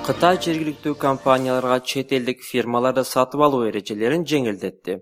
Кытай жергиликтүү компанияларга чет элдик фирмаларды сатып алуу эрежелерин жеңилдетти.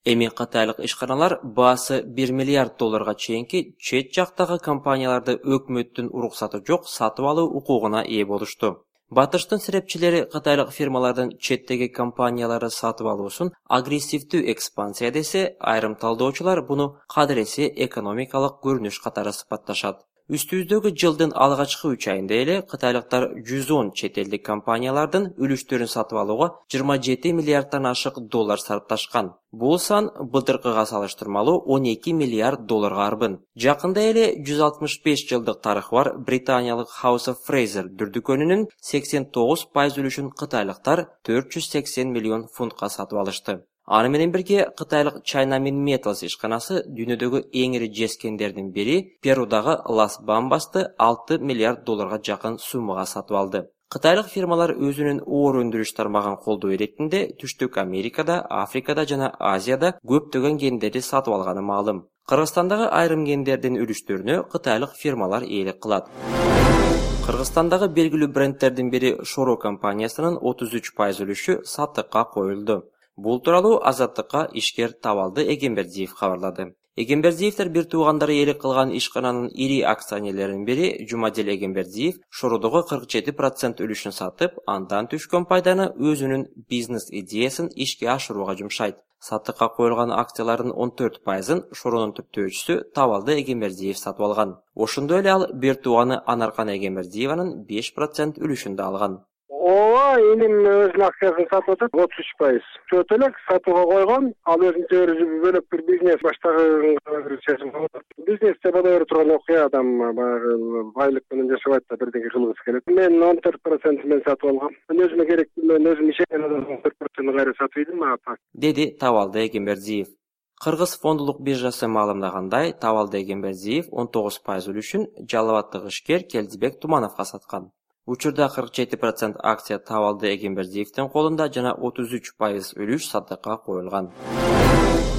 Эми кытайлык ишканалар баасы 1 миллиард долларга чейинки чет жактагы компанияларды өкмөттүн уруксаты жок сатып алуу укугуна ээ болушту. Батыштын серепчилери кытайлык фирмалардын четтеги компанияларды сатып алуусун агрессивдүү экспансия десе, айрым талдоочулар буну кадыресе экономикалык көрүнүш катары сыпатташат. Үстүбүздөгү жылдын алгачкы 3 айында эле кытайлыктар 110 чет элдик компаниялардын үлүштөрүн сатып алууга 27 миллиарддан ашык доллар сарпташкан. Бул сан былтыркыга салыштырмалуу 12 миллиард долларга арбын. Жакында эле 165 жылдык тарыхы бар британиялык House of Fraser дүрдүкөнүнүн 89% үлүшүн кытайлыктар 480 миллион фунтка сатып алышты. Аны менен бирге кытайлык Chinamin Metals ишканасы дүйнөдөгү эң ири жескендердин бири Перудагы Лас Бамбасты 6 миллиард долларга жакын суммага сатып алды. Кытайлык фирмалар өзүнүн оор өндүрүш тармагын колдоо иретинде Түштүк Америкада, Африкада жана Азияда көптөгөн кендерди сатып алганы маалым. Кыргызстандагы айрым кендердин үлүштөрүнө кытайлык фирмалар ээлик кылат. Кыргызстандагы белгилүү брендтердин бири Шоро компаниясынын 33% үлүшү саттыкка коюлду. Бул тууралуу Азаттыкка ишкер Табалды Эгембердиев кабарлады. Эгембердиевдер бир туугандары ээлик кылган ишкананын ири акционерлеринин бири Жумадел Эгембердиев Шородогу 47% үлүшүн сатып, андан түшкөн пайданы өзүнүн бизнес идеясын ишке ашырууга жумшайт. Саттыкка коюлган акциялардын 14%-ын Шоронун түптөөчүсү Табалды Эгембердиев сатып алган. Ошондой эле ал бир тууганы Анаркан Эгембердиеванын 5% үлүшүн да алган. Ооба, элим өзүнүн акциясын сатып атат 33%. Чөт элек сатууга койгон, ал өзүнчө бөлөк бир бизнес баштаган бизнесте боло бере турган окуя, адам баягы байлык менен жашабайт да бирдеке кылгысы келет. Мен 14% мен сатып алгам. Мен өзүмө керектүү, мен өзүм ишенген адамдын 14% кайра сатып ийдим, мага так. Деди Табалды Эгембердиев. Кыргыз фондулук биржасы маалымдагандай, Табалды Эгембердиев 19% үлүшүн Жалал Абадтык ишкер Келдибек Тумановго саткан. Учурда 47% акция Табалды Эгембердиевдин колунда жана 33% үлүш саттыкка коюлган.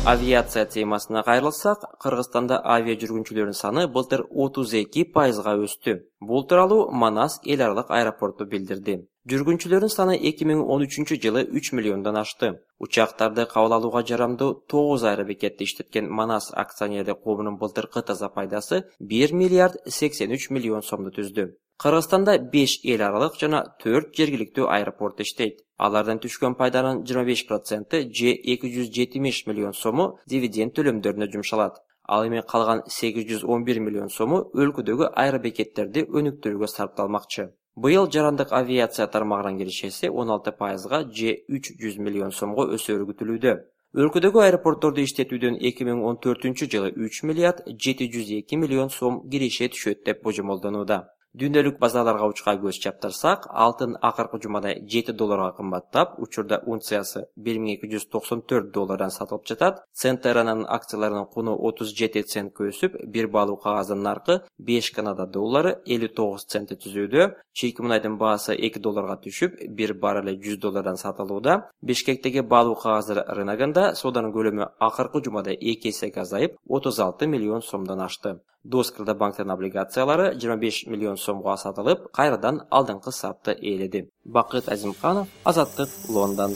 Авиация темасына кайрылсак, Кыргызстанда авиа жүргүнчүлөрүнүн саны былтыр 32%га өстү. Бул тууралуу Манас эл аралык аэропорту билдирди. Жүргүнчүлөрүнүн саны 2013-жылы 3 миллиондон ашты. Учактарды кабыл алууга жарамдуу 9 аэробекетти иштеткен Манас акционерлик коомунун былтыркы таза пайдасы 1 миллиард 83 миллион сомду түздү. Кыргызстанда 5 эл аралык жана 4 жергиликтүү аэропорт иштейт. Алардан түшкөн пайданын 25% же 270 миллион сому дивиденд төлөмдөрүнө жумшалат. Ал эми калган 811 миллион сому өлкөдөгү аэробекеттерди өнүктүрүүгө сарпталмакчы. Быйыл жарандык авиация тармагынын киришеси 16%га же 300 миллион сомго өсөрү күтүлүүдө. Өлкөдөгү аэропортторду иштетүүдөн 2014-жылы 3 миллиард 702 миллион сом киреше түшөт деп божомолдонууда. Дүйнөлүк базаларга учка көз чаптырсак, алтын акыркы жумада 7 долларга кымбаттап, учурда унциясы 1294 доллардан сатылып жатат. Центеранын акцияларынын куну 37 центке өсүп, бир баалуу кагаздын наркы 5 Канада доллары 59 центти түзүүдө. Чийки мунайдын баасы 2 долларга түшүп, бир баррели 100 доллардан сатылууда. Бишкектеги баалуу кагаздар рыногунда сооданын көлөмү акыркы жумада 2 эсеге азайып, 36 миллион сомдон ашты. Доскалда банктын облигациялары 25 миллион сомго сатылып, кайрадан алдыңкы сапты ээледи. Бакыт Азимканов, Азаттык, Лондон.